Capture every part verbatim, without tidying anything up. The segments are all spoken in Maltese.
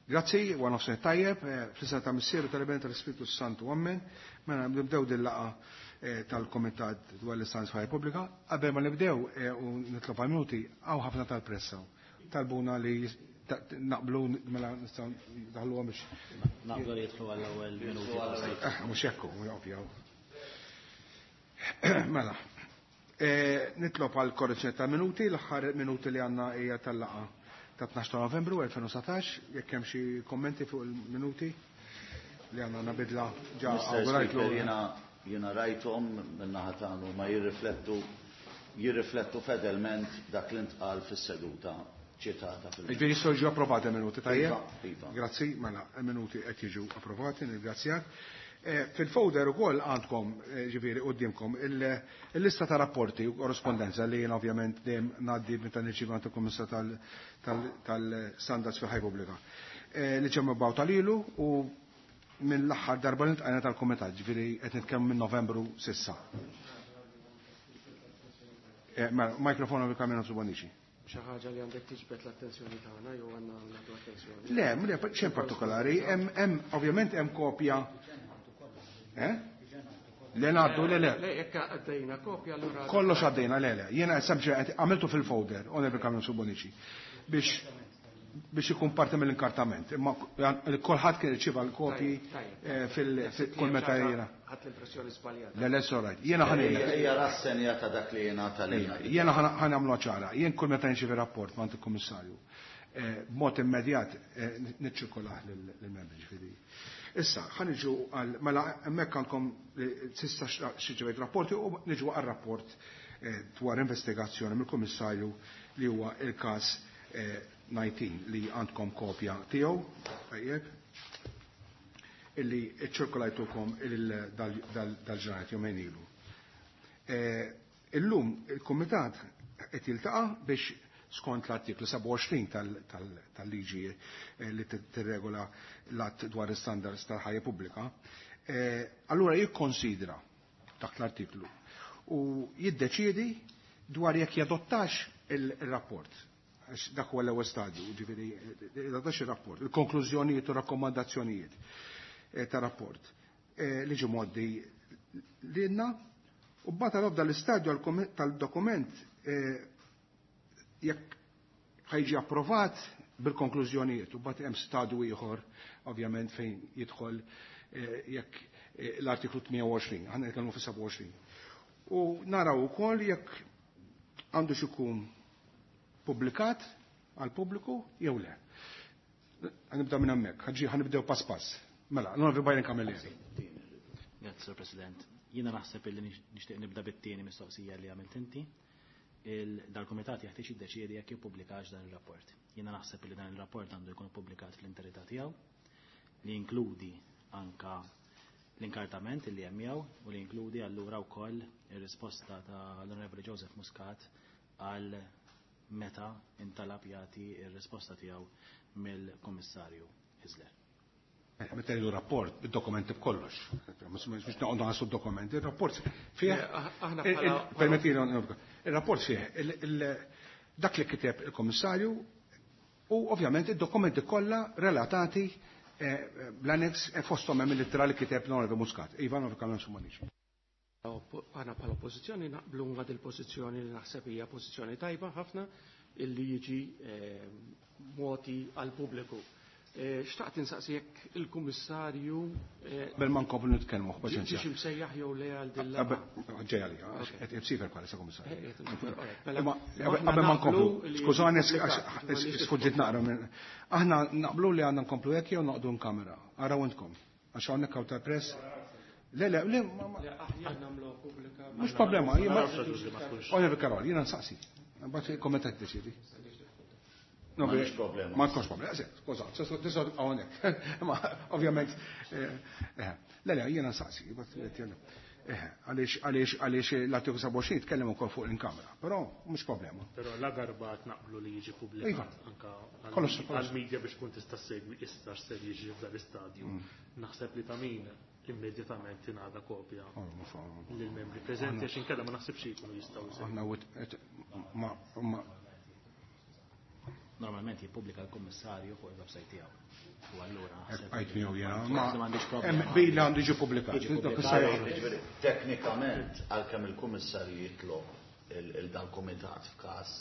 Grazzi, u nofsinhar tajjeb, fl-isem ta' Missier u tal-Iben tal-Ispirtu Santu, Amen. Mela nibdew din laqgħa tal-Komitat dwar l-Istanz f'Ħajja Pubblika. Qabel ma nibdew u nitlob għal minuti, hawn ħafna tal-pressa. Talbuna li naqblu mela nistgħu daħluha biex. Naqblu li jidħlu għall-ewwel minuti. Mhux hekk ovvja. Mela. Nitlob għal korrezzjoni ta' minuti, l-aħħar minuti li għandna hija tal-laqgħa ta' tnax ta' Novembru elfejn u satax, jekk hemm xi kommenti fuq il-minuti li għandna nabidla ġa awgurajtlu. Jiena jiena rajthom min-naħa tagħnu ma jirriflettu jirriflettu fedelment dak li ntqal fis-seduta ċitata fil- Ġifieri jistgħu jiġu approvati minuti, tajjeb? Iva, iva. Grazzi, mela minuti qed jiġu approvati, nirringrazzjak. Fil-folder ukoll għandkom, ġifieri quddiemkom il-lista ta' rapporti u korrespondenza li jien ovvjament dejjem ngħaddi meta nirċievi għand il-Kummissar tal-Standards fil-Ħajja Pubblika. Li ġew mibgħuta lilu u minn l-aħħar darba li ntqajna tal-Kumitat, ġifieri qed nitkellmu minn Novembru sissa. Mikrofonu bil-Kamina Subonici. Xi ħaġa li għandek tiġbed l-attenzjoni tagħna jew għandna nagħtu attenzjoni? Le, le, xejn partikolari, hemm ovvjament hemm kopja. Eh? Le ngħaddu, le, le. Le, jekk għaddejna kopja allura. Kollox għaddejna, le, le. Jiena sempliċement għamiltu fil-folder, Onorevoli Kamil Subonici, biex biex ikun parti mill-inkartament. Imma kulħadd kien irċieva l-kopji fil-kull meta jiena. Ħadd l-impressjoni żbaljata. Le, le, sorry. Jiena ħa ngħidlek. Hija rassenja ta' dak li jingħata lilna. Jiena ħa nagħmlu ċara. Jien kull meta nirċievi rapport ma' il-Kummissarju, b'mod immedjat niċċirkulah lill-membri, ġifieri. Issa, ħa niġu għal, mela hemmhekk għandkom sissa xi ġewejt rapporti u niġu għal rapport dwar investigazzjoni mill-Kummissarju li huwa il-każ nineteen li għandkom kopja tiegħu, tajjeb, illi ċirkolajtukom dal-ġranet jumejn ilu. Illum il-Kumitat qed jiltaqa' biex skont l-artiklu sebgħa u għoxrin tal-liġi li tirregola l-att dwar is-standards tal-ħajja pubblika, allura jikkonsidra dak l-artiklu u jiddeċiedi dwar jekk jadottax il-rapport. Għax dak huwa l-ewwel stadju, ġifieri jadottax ir-rapport, il-konklużjonijiet u rakkomandazzjonijiet ta' rapport li ġie mgħoddi lilna, u mbagħad għal l-istadju tal-dokument jekk ħajġi approvat bil-konklużjonijiet, u mbagħad hemm stadju ieħor ovvjament fejn jidħol jekk l-artiklu tmien u għoxrin, aħna nitkellmu fi sebgħa u għoxrin. U naraw ukoll jekk għandu x'ikun pubblikat għal pubbliku jew le. Ħanibda minn hemmhekk, ħaġi ħanibdew pass pass. Mela, l-Onorevoli Byron Camilleri. Grazzi, Sur President. Jiena naħseb illi nixtieq nibda bit-tieni mistoqsija li għamilt inti. Dal-Kumitat jeħtieġ jiddeċiedi jekk jippubblikax dan ir-rapport. Jiena naħseb li dan ir-rapport għandu jkun ippubblikat fl-interità tiegħu, li jinkludi anka l-inkartament li hemm miegħu u li jinkludi allura wkoll ir-risposta tal-Onorevoli Joseph Muscat għal meta intalab jagħti r-risposta tiegħu mill-Kummissarju Hyzler. Meta jgħidu rapport, id-dokumenti b'kollox. Mhux noqogħdu nħassu d-dokumenti, ir-rapport fih. Il-rapport fih dak li kiteb il-Kummissarju u ovvjament id-dokumenti kollha relatati bl-annex fosthom hemm il-ittra li kiteb l-Onorevoli Muscat. Iva, Onorevoli Kamil Subonici. Aħna bħala oppożizzjoni naqblu ma' dil-pożizzjoni li naħseb hija pożizzjoni tajba ħafna illi jiġi moti għall-pubbliku. Xtaqt insaqsi jekk il-Kummissarju Qabel ma nkomplu nitkellmu, paċenzja. Ġiex imsejjaħ jew le għal din l-laqgħa. Ġej għalija, qed imsifer bħalissa Kummissarju. Qabel ma nkomplu, skużani sfuġġit naqra minn. Aħna naqblu li għandna nkomplu hekk jew noqogħdu nkamera. Araw intkom. Għax hawnhekk hawn tal-press. Le, le, le, aħjar nagħmlu pubblika. Mhux problema, jien ma Onorevoli Karol, jiena nsaqsi. Mbagħad il-kumitat tiddeċiedi. No, Ma nix problema. Ma nkunx problema, skuża, tista' hawnhekk. Ma ovvjament, le, le, jiena nsaqsi, għaliex għaliex għaliex l-artiklu sebgħa u għoxrin tkellem ukoll fuq il-kamera, però mhux problema. Però la darba qed naqblu li jiġi pubblikat anka għall-media biex tkun tista' segwi issa x'ser jiġi f'dan l-istadju. Naħseb li ta' min immedjatament tingħata kopja lill-membri preżenti għax inkella ma naħsibx li jkunu jistgħu jsegwu. Aħna ma Normalment jippubblika l-Kummissarju fuq il-website tiegħu. U allura naħseb Għajt miegħu jiena. Ma m'għandix problema. Bil għandu jiġi pubblikat. Jiġi pubblikat. Jiġifieri, teknikament, għalkemm il-Kummissarju jitlob il-dal-Kumitat f'każ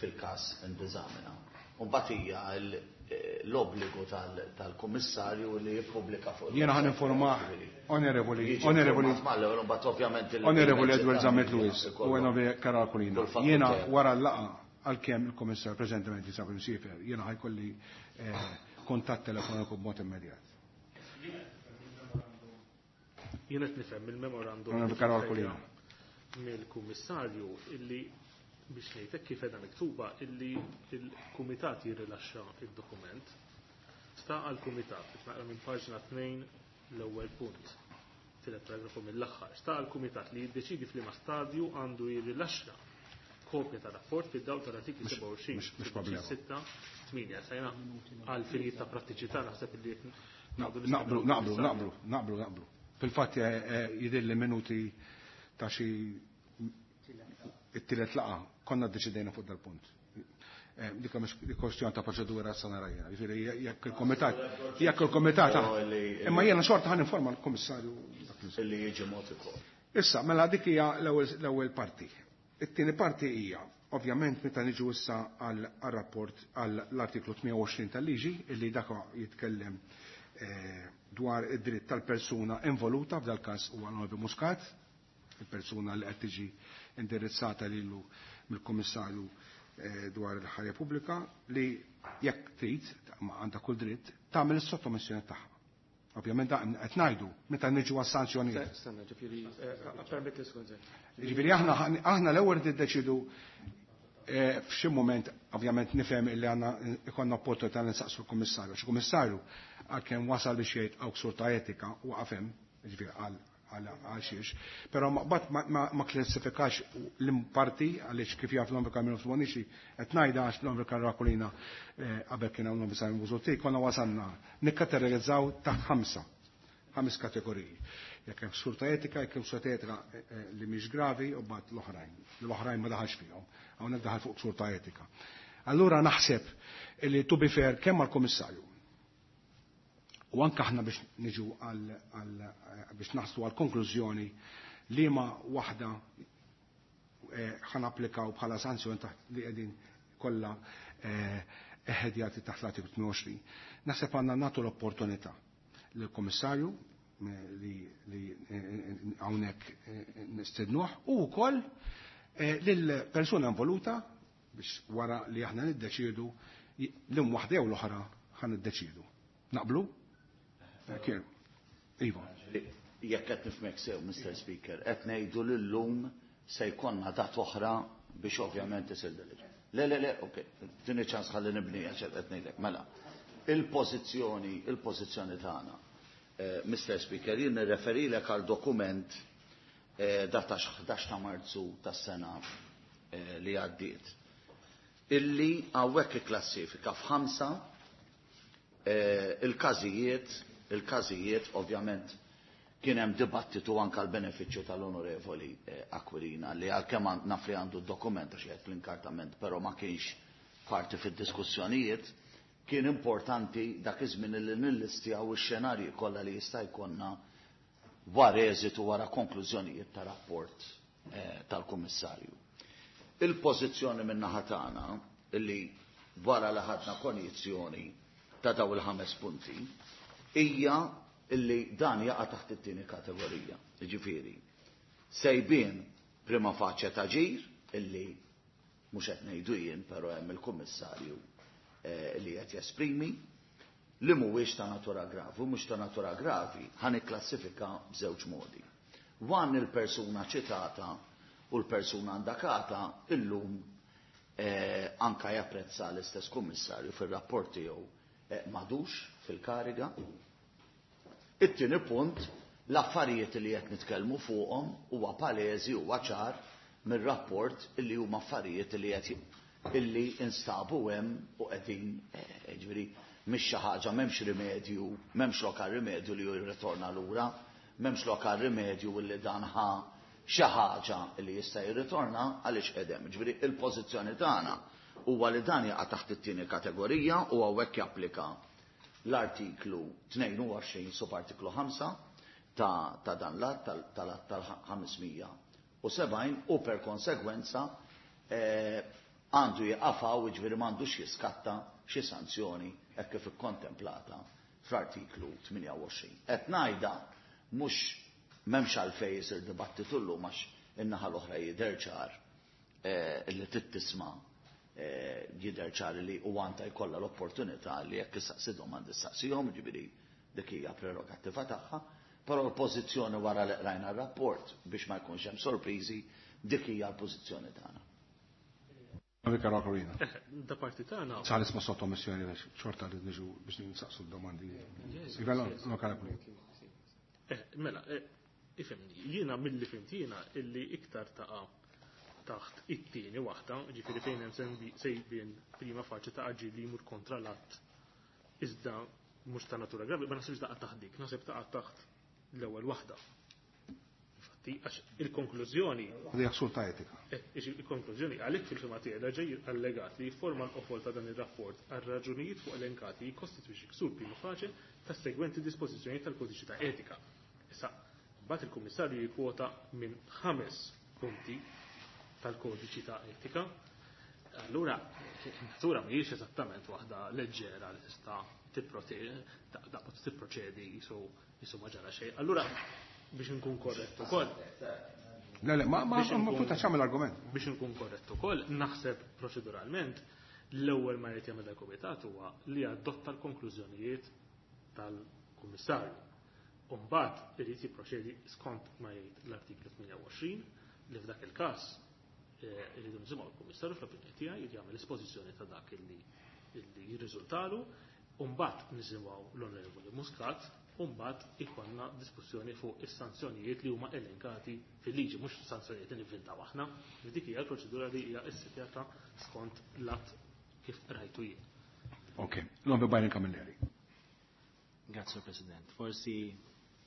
fil-każ indizamina. Mbagħad hija l-obbligu tal-Kummissarju li jippubblika fuq. Jiena ħa ninformah, onorevoli, onorevoli, onorevoli Edward Zammit Lewis u onorevoli Karol Aquilina. Jiena wara l-laqgħa għalkemm il-Kummissarju preżentement jinsab imsiefer, jiena ħa jkolli kuntatt telefoniku b'mod immedjat. Jiena qed nifhem il-memorandum Onorevoli Karol Aquilina. mill-Kummissarju illi biex ngħidlek kif qiegħda miktuba illi il-Kumitat jirrilaxxa id-dokument. Sta għall-Kumitat, qed naqra minn paġna tnejn l-ewwel punt, tielet paragrafu mill-aħħar. Sta għall-Kumitat li jiddeċidi f'liema stadju għandu jirrilaxxa kopja tar-rapport fid-dawl tal-artikli sebgħa u għoxrin, Mhux problema. sitta, tmienja. Sajna għal finijiet ta' prattiċità naħseb illi Naqblu, naqblu, naqblu, naqblu, naqblu. Fil-fatt jidhirli minuti ta' xi it-tielet laqgħa konna ddeċidejna fuq dal-punt. Dik mhux kwestjoni ta' proċedura sa nara jiena. Jiġifieri jekk il-komitat, jekk il-komitat, imma jiena xorta ħa ninforma l-Kummissarju Illi jiġi mod ukoll. Issa, mela dik hija l-ewwel parti. It-tieni parti hija, ovvjament, meta niġu issa għal-rapport għall-artiklu tmienja u għoxrin tal-liġi, illi dak jitkellem dwar id-dritt tal-persuna involuta, f'dal każ huwa Onorevoli Muscat, il-persuna li qed tiġi indirizzata lilu mill-Kummissarju dwar il-ħajja pubblika, li jekk trid, ma għandha kull dritt, tagħmel is-sottomissjoni tagħha. Ovvjament da qed ngħidu meta niġu għas-sanzjonijiet. Stenna, ġifieri, permetti skużi. Ġifieri aħna aħna l-ewwel niddeċidu f'xi mument, ovvjament nifhem illi għandna ikollna opportunità li nsaqsu l-Kummissarju. Xi Kummissarju għalkemm wasal biex jgħid hawn ksur ta' etika u għafem, ġifieri għal għal xiex, però ma bat ma klassifikax l-imparti għaliex kif jaf l-Onorevoli Carmelo Bonnici qed ngħidha għax l-Onorevoli Karol Aquilina qabel kien hawn l-Onorevoli Busuttil, konna wasalna nikkategorizzaw taħt ħamsa, ħames kategoriji. Jekk hemm ksur ta' etika, jekk hemm ksur ta' etika li mhix gravi u mbagħad l-oħrajn. L-oħrajn ma daħalx fihom, hawnhekk daħal fuq ksur ta' etika. Allura naħseb li to be fair kemm għall-Kummissarju u anke aħna biex niġu għal biex naħslu għal konklużjoni li ma waħda ħan applikaw bħala sanzjoni taħt li qegħdin kollha eħedjati taħt l-artiklu tmienja u għoxrin. Naħseb għandna nagħtu l-opportunità lill-Kummissarju li hawnhekk nistednuh u wkoll lill-persuna involuta biex wara li aħna niddeċiedu l-im waħda jew l-oħra ħan niddeċiedu. Naqblu? Iva. Jekk qed nifhmek sew, Mister Speaker, qed ngħidu li llum se jkollna dat oħra biex ovvjament isir deliġ. Le, le, le, ok, tini ċans ħalli nibni għax qed ngħidlek. Mela, il-pożizzjoni, il-pożizzjoni tagħna, Mister Speaker, jien nirreferilek għal dokument data ħdax ta' Marzu tas-sena li għaddiet, illi hawnhekk ikklassifika f'ħamsa il-każijiet, il-każijiet ovvjament kien hemm dibattitu anke għall-benefiċċju tal-Onorevoli Aquilina li għalkemm naf li għandu d-dokument għax jgħid l-inkartament, però ma kienx parti fid-diskussjonijiet, kien importanti dak iż-żmien li nillistjaw ix-xenarji kollha li jista' jkollna wara eżitu wara konklużjonijiet ta' rapport tal-Kummissarju. Il-pożizzjoni min-naħa tagħna illi wara li ħadna konjizzjoni ta' daw il-ħames punti hija illi dan jaqa' taħt it-tieni kategorija. Jiġifieri, sejbien prima facie ta' ġir illi mhux qed ngħidu jien, però hemm il-Kummissarju li qed jesprimi li mhuwiex ta' natura gravi, u mhux ta' natura gravi ħa nikklassifika b'żewġ modi. Wan il-persuna ċitata u l-persuna indakata illum anka japprezza l-istess Kummissarju fir-rapport tiegħu m'għadux fil-kariga. It-tieni punt, l-affarijiet li qed nitkellmu fuqhom huwa palesi huwa ċar mir-rapport illi huma affarijiet li qed illi instabu hemm u qegħdin, ġifieri mhix xi ħaġa, m'hemmx rimedju, m'hemmx lokal rimedju li jirritorna lura, m'hemmx lokal rimedju li dan ħa xi ħaġa li jista' jirritorna għaliex qedem. Ġifieri il-pożizzjoni tagħna huwa li dan jaqa' taħt it-tieni kategorija u hawnhekk japplika l-artiklu tnejn u għoxrin subartiklu ħamsa ta', ta dan l-att tal-att tal-ħames mija u sebgħin u per konsegwenza għandu jaqafaw, jiġifieri m'għandux jiskatta xi sanzjoni hekk kif ikkontemplata fl-artiklu tmienja u għoxrin. Qed ngħidha mhux m'hemmx għalfejn isir dibattitu llum għax in-naħa l-oħra jidher ċar li tittisma' jidher ċar li u għandha jkollha l-opportunità li jekk issaqsi domandi ssaqsihom, jiġifieri dik hija prerogattiva tagħha, però l-pożizzjoni wara li qrajna r-rapport biex ma jkunx hemm sorpriżi, dik hija l-pożizzjoni tagħna. Da parti tagħna. Sar isma' sottomissjoni biex xorta li niġu biex nsaqsu d-domandi. Mela, ifhimni, jiena milli fimt jiena illi iktar taqa' taħt it-tieni waħda, ġifieri fejn hemm sejbien prima faċi ta' aġir li jmur kontra l-att iżda mhux ta' natura gravi, ma naħsibx taqa' taħt dik, naħseb taqa' taħt l-ewwel waħda. Infatti, għax il-konklużjoni. Għadija ksur ta' etika. Il-konklużjoni għalhekk fil-fema tiegħi ġej allegat li jifforma l-qofol ta' dan ir-rapport għal raġunijiet fuq elenkati jikkostitwixxi ksur prima faċe tas-segwenti dispożizzjonijiet tal-kodiċi ta' etika. Issa, mbagħad il-Kummissarju jikkwota minn ħames punti tal-kodiċi ta' etika. Allura, natura mhijiex eżattament waħda leġġera li tista' tipproċedi jisu ma ġara xejn. Allura, biex nkun korrett ukoll. Le, le, ma ma ma punta x'għamel argument. Biex nkun korrett ukoll, naħseb proċeduralment l-ewwel ma jrid jagħmel il-kumitat huwa li adotta l-konklużjonijiet tal-Kummissarju. U mbagħad irid jipproċedi skont ma jgħid l-artiklu tmienja u għoxrin li f'dak il-każ irridu nisimgħu l-Kummissarju fl-opinjoni tiegħi jrid jagħmel espożizzjoni ta' dak illi jirriżultalu, u mbagħad nisimgħu l-Onorevoli Muscat, u mbagħad ikollna diskussjoni fuq is-sanzjonijiet li huma elenkati fil-liġi, mhux sanzjonijiet li nivvintaw aħna. Dik hija l-proċedura li hija ssitjata skont l-att kif rajtu jien. Ok, l-Onorevoli Byron Camilleri. Grazie President. Forsi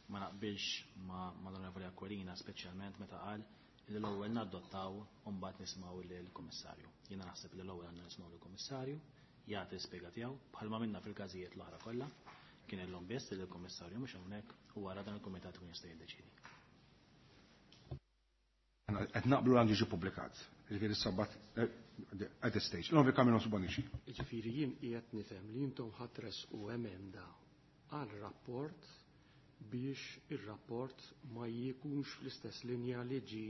ma naqbilx ma l-Onorevoli Aquilina, speċjalment meta qal li l-ewwel nadottaw u mbagħad nismgħu lill-Kummissarju. Jiena naħseb li l-ewwel għandna nismgħu lill-Kummissarju, jagħti spjega tiegħu bħalma minna fil-każijiet l-oħra kollha, kien illum biss li l-Kummissarju mhux hawnhekk u wara dan il-kumitat ikun jista' jiddeċiedi. Qed naqblu għandu jiġi ppubblikat. Jiġifieri s-sabbat at this stage. L-Onorevoli Camillo Bonnici. Jiġifieri jien qiegħed nifhem li intom ħatres u emenda għal rapport biex ir-rapport ma jkunx fl-istess linja li ġi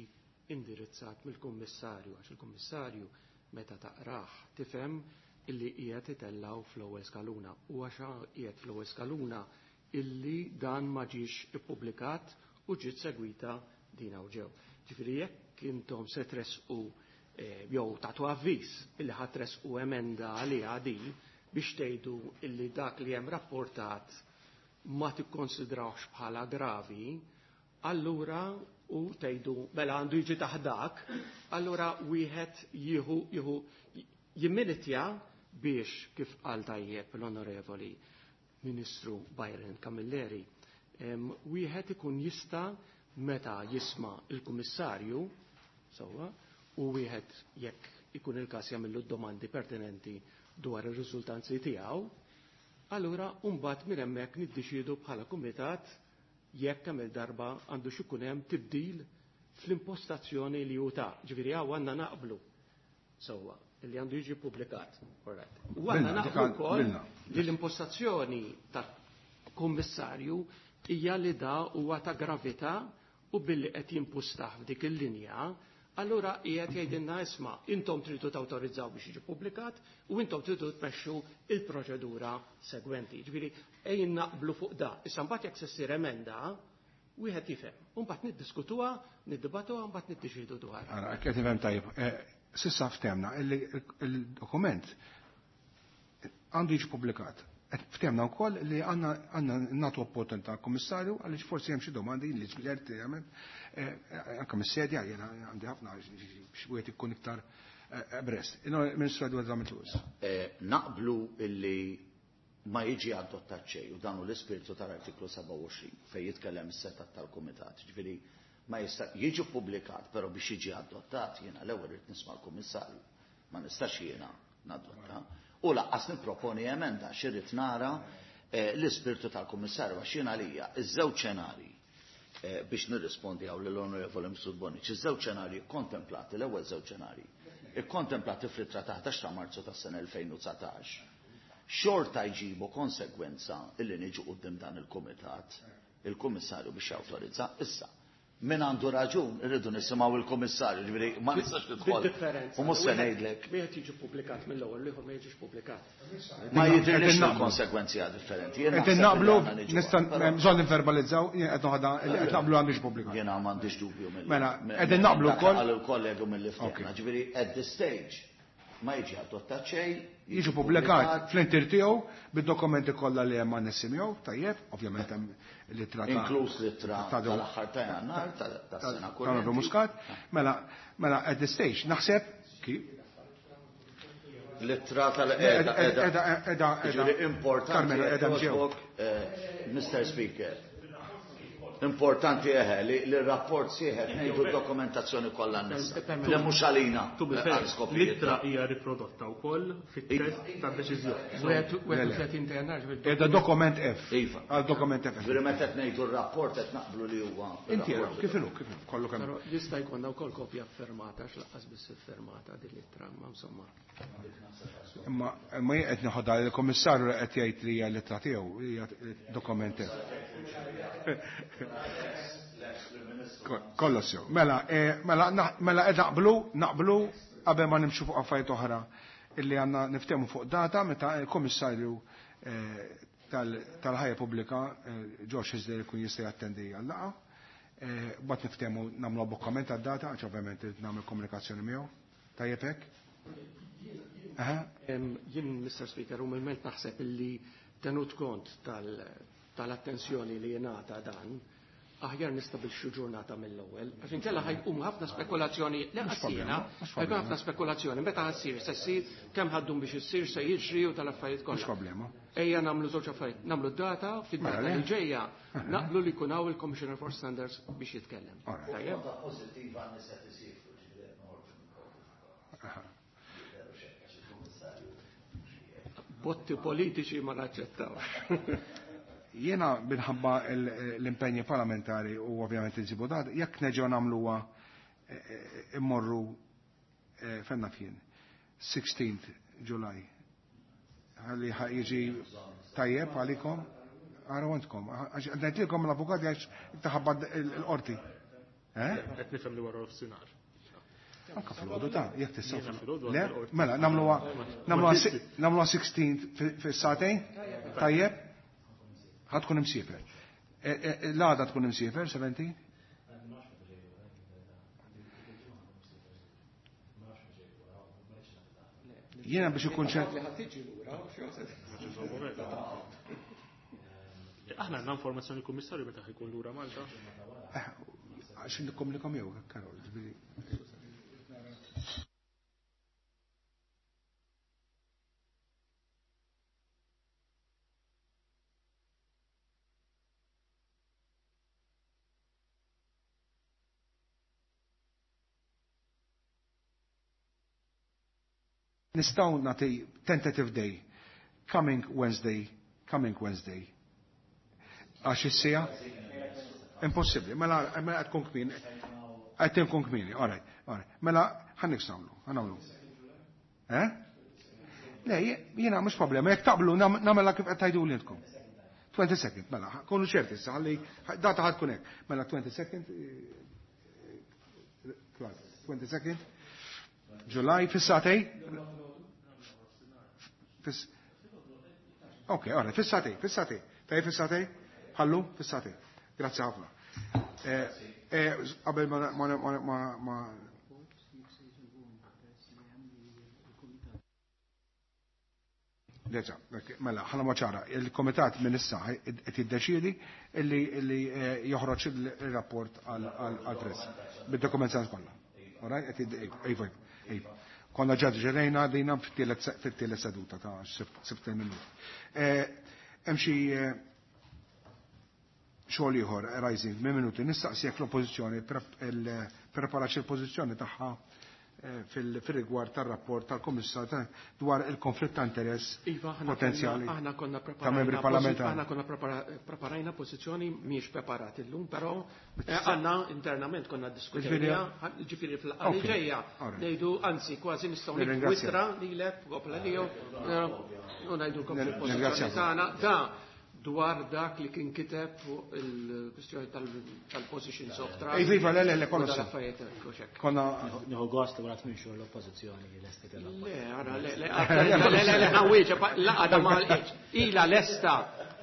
indirizzat mill-Kummissarju, għax il-Kummissarju meta taqrah tifhem illi qiegħed itellaw fl-ewwel skaluna u għax qiegħed fl-ewwel skaluna illi dan ma ġiex ippubblikat u ġiet segwita din hawn ġew. Ġifieri jekk intom se tresqu jew tagħtu avviż illi ħadd tresqu emenda għaliha din biex tgħidu illi dak li hemm rapportat ma tikkonsidrawx bħala gravi, allura u tgħidu mela għandu jiġi taħdak, allura wieħed jieħu jieħu jimminitja biex kif qal tajjeb l-Onorevoli Ministru Byron Camilleri, wieħed ikun jista' meta jisma' il-Kummissarju sewwa u wieħed jekk ikun il-każ jagħmillu d-domandi pertinenti dwar ir-riżultanzi tiegħu, allura mbagħad minn hemmhekk niddeċiedu bħala kumitat jekk kemm il-darba għandu x'ikun hemm tibdil fl-impostazzjoni li hu ta'. Ġifieri hawn għandna naqblu sewwa li għandu jiġi ppubblikat. U għandna naqblu wkoll li l-impostazzjoni ta' kummissarju hija li da huwa ta' gravità u billi qed jimpustah f'dik il-linja, allura qiegħed jgħidilna isma' intom tridu tawtorizzaw biex jiġi ppubblikat u intom tridu tmexxu il-proċedura segwenti. Ġifieri ejjin naqblu fuq da. Issa mbagħad jekk se ssir emenda, wieħed jifhem. U mbagħad niddiskutuha, niddibatuha, mbagħad niddeċiedu dwarha. Ara, qed nifhem tajjeb. Sissa ftemna il-dokument għandu jiġi ppubblikat. Ftemna wkoll li għandna nagħtu opportunità għall-Kummissarju għaliex forsi hemm xi domandi li ġlerti anke mis-sedja jiena għandi ħafna biex wieħed ikun iktar brest. Ministru Edward Zammit Lewis. Naqblu illi ma jiġi adottat xejn u dan hu l-ispirtu tal-artiklu sebgħa u għoxrin fejn jitkellem is-setat tal-Kumitat. Ġifieri ma jista' jiġi ppubblikat, però biex jiġi adottat jiena l-ewwel irid nisma' l-Kummissarju. Ma nistax jiena nadotta. U laqqas nipproponi emenda xirrid nara l-ispirtu tal-Kummissarju għax jien għalija iż-żewġ xenarji biex nirrispondi hawn lill-Onorevoli Mifsud Bonnici, iż-żewġ xenarji kkontemplati, l-ewwel żewġ xenarji ikkontemplati fl-ittra ta' ħdax ta' Marzu tas-sena elfejn u dsatax, xorta jġibu konsegwenza illi niġu quddiem dan il-kumitat, il-Kummissarju biex jawtorizza. Issa, min għandu raġun, irridu nisimgħu il-Kummissarju, ġifieri ma nistax nidħol. U mhux se ngħidlek. Wieħed jiġi ppubblikat mill-ewwel, l-ieħor ma jiġix ppubblikat. Ma jidhirlix il-konsegwenzi differenti. Qed naqblu, nista' bżonn nivverbalizzaw, jien qed noħodha qed naqblu għandix pubblikat. Jiena m'għandix dubju mill. Mela, qegħdin naqblu wkoll. Għal il-kollegu mill-li ftehna, ġifieri at this stage ma jiġi adottat xejn, jiġi pubblikat fl-intir tiegħu bid-dokumenti kollha li hemm annessi miegħu, tajjeb, ovvjament hemm l-ittra ta' inkluż l-ittra tal-aħħar ta' Jannar tas-sena kurrenti. Muscat, mela mela at this stage naħseb kif l-ittra tal-qiegħda qiegħda qiegħda importanti Mister Speaker. Importanti eħe li l-rapport sieħed ngħidu d-dokumentazzjoni kollha annessa. Li mhux għalina. L-ittra hija riprodotta wkoll fit-test tad-deċiżjoni. wieħed u tletin ta' Jannar. Qiegħda dokument F. Iva. Għal dokument F. Ġifieri meta qed ngħidu r-rapport qed naqblu li huwa. Inti kif inhu kif inhu kollu kemm. Però jista' jkollna wkoll kopja ffirmata għax lanqas biss iffirmata din l-ittra, ma insomma. Imma imma jien qed nieħodha lill-Kummissarju li qed jgħid li hija l-ittra tiegħu hija dokument F. Kollox sew. Mela, mela mela qed naqblu, naqblu qabel ma nimxu fuq affarijiet oħra illi għandna niftehmu fuq data meta l-Kummissarju tal-Ħajja Pubblika Josh Hyzler ikun jista' jattendi għal-laqgħa. Mbagħad niftehmu nagħmlu abbokkament għad-data għax ovvjament irid nagħmel komunikazzjoni miegħu. Tajjeb hekk? Jien, Mister Speaker, umilment naħseb illi tenut kont tal-attenzjoni li jingħata dan, aħjar nistabilxu ġurnata mill-ewwel, għax inkella ħajqum ħafna spekulazzjoni, le ħassina, ħajkun ħafna spekulazzjoni, meta ħassir, se ssir, kemm ħaddum biex issir, se jiġri u tal-affarijiet kollha. Mhux problema. Ejja nagħmlu żewġ affarijiet, nagħmlu d-data, fid-data li ġejja, naqblu li jkun hawn il-Commissioner for Standards biex jitkellem. Tajjeb. Pożittiva nisa tisifru ġifieri noħorġu. Botti politiċi ma naċċettawx. Jiena minħabba l-impenji parlamentari u ovvjament insibu dat, jekk neġgħu nagħmluha immorru fenna fien sixteenth July. Ħalli jiġi tajjeb għalikom, għara għandkom. Ngħidilkom l-avukati għax taħabba l-qorti. Qed nifhem li wara nofsinhar. Anka fil-ħodu ta' jekk tistgħu. Le, mela nagħmluha nagħmluha sixteenth fis-sagħtejn, tajjeb. Ħad tkun imsiefer. L-għada tkun imsiefer, seventeen? Jiena biex ikun ċert. Aħna għandna informazzjoni l-Kummissarju meta ħajkun lura Malta. Għax nikkomunikom jew, Karol, ġifieri. Nistgħu nagħti tentative day, coming Wednesday, coming Wednesday. Għax is-sija? Impossibbli. Mela mela qed tkun kmieni. Qed tkun kmieni, all right, all right. Mela ħa nagħmlu, ħa nagħmlu. Eh? Le, jiena mhux problema, jekk taqblu nagħmilha kif qed tgħidu lilkom. twenty second, mela, kunu ċerti issa ħalli data ħad tkun hekk. Mela twenty second, twenty second July fis-satej? Ok, ora, fis-satej, fis-satej. Taj fis-satej? Ħallu, fis-satej. Grazzi ħafna. Qabel ma ma ma Deġa, mela, ħana maċara, il-komitat minn issa qed jiddeċiedi illi joħroġ il-rapport għall-press bid-dokumentazzjoni kollha. All right, qed iva, iva. Konna ġad ġerejna dejna fit-tielet seduta ta' sibt minuti. Hemm xi xogħol ieħor rising minn minuti nistaqsi jekk l-oppożizzjoni preparat il-pożizzjoni tagħha fil-rigward tar-rapport tal-Kummissar dwar il-konflitt ta' interess Iva, aħna potenzjali konna- aħna konna ta' membri preparajna parlamentari. aħna konna prepara- preparajna pożizzjoni mhijiex preparat illum, però eh, għandna internament konna diskutejna, ġifieri fil-laqgħa li Ok, ġejja alright. ngħidu anzi kważi nistgħu niktbu Nirringrazzjak. ittra lilek kopla liju u ngħidulkom fil-pożizzjoni Nirringrazzjak. tagħna da dwar dak li kien kiteb fuq il-kwistjoni tal-positions of trust. Iva, iva, le, le, le, u kollox. dal-affarijiet hekk u xekk. Konna Nieħu gost li wara tmien xhur l-oppożizzjoni lesti il-rapport. Le, ara, le, le, le, le, le, le, ħawieġa, laqada ma ila lesta,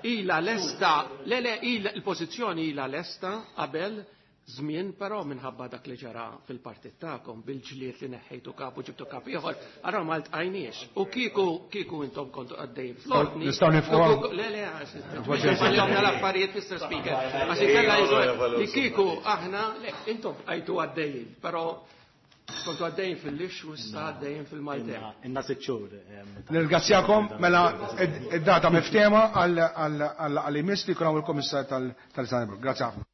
ila lesta, le, le, ila, il-pozizjoni ila lesta qabel żmien però minħabba dak li ġara fil-partit tagħkom bil-ġlied li neħħejtu kap u ġibtu kap ieħor, ara ma ltqajniex. U kieku kieku intom kontu għaddejjin fl-ordni. Nistgħu nifqu u- Le, le, għax l-affarijiet, Mister Speaker. Għax inkella jiġu- li kieku aħna, le, intom għajtu għaddejjin, però kontu għaddejjin fil-lix u issa għaddejjin fil-maltemp. Inna sitt xhur. em, ta' Nirringrazzjakom mela id-data miftema għal għal għal għal imiss li jkun hawn il-Kummissar tal-Istanbul. Grazie ħafna.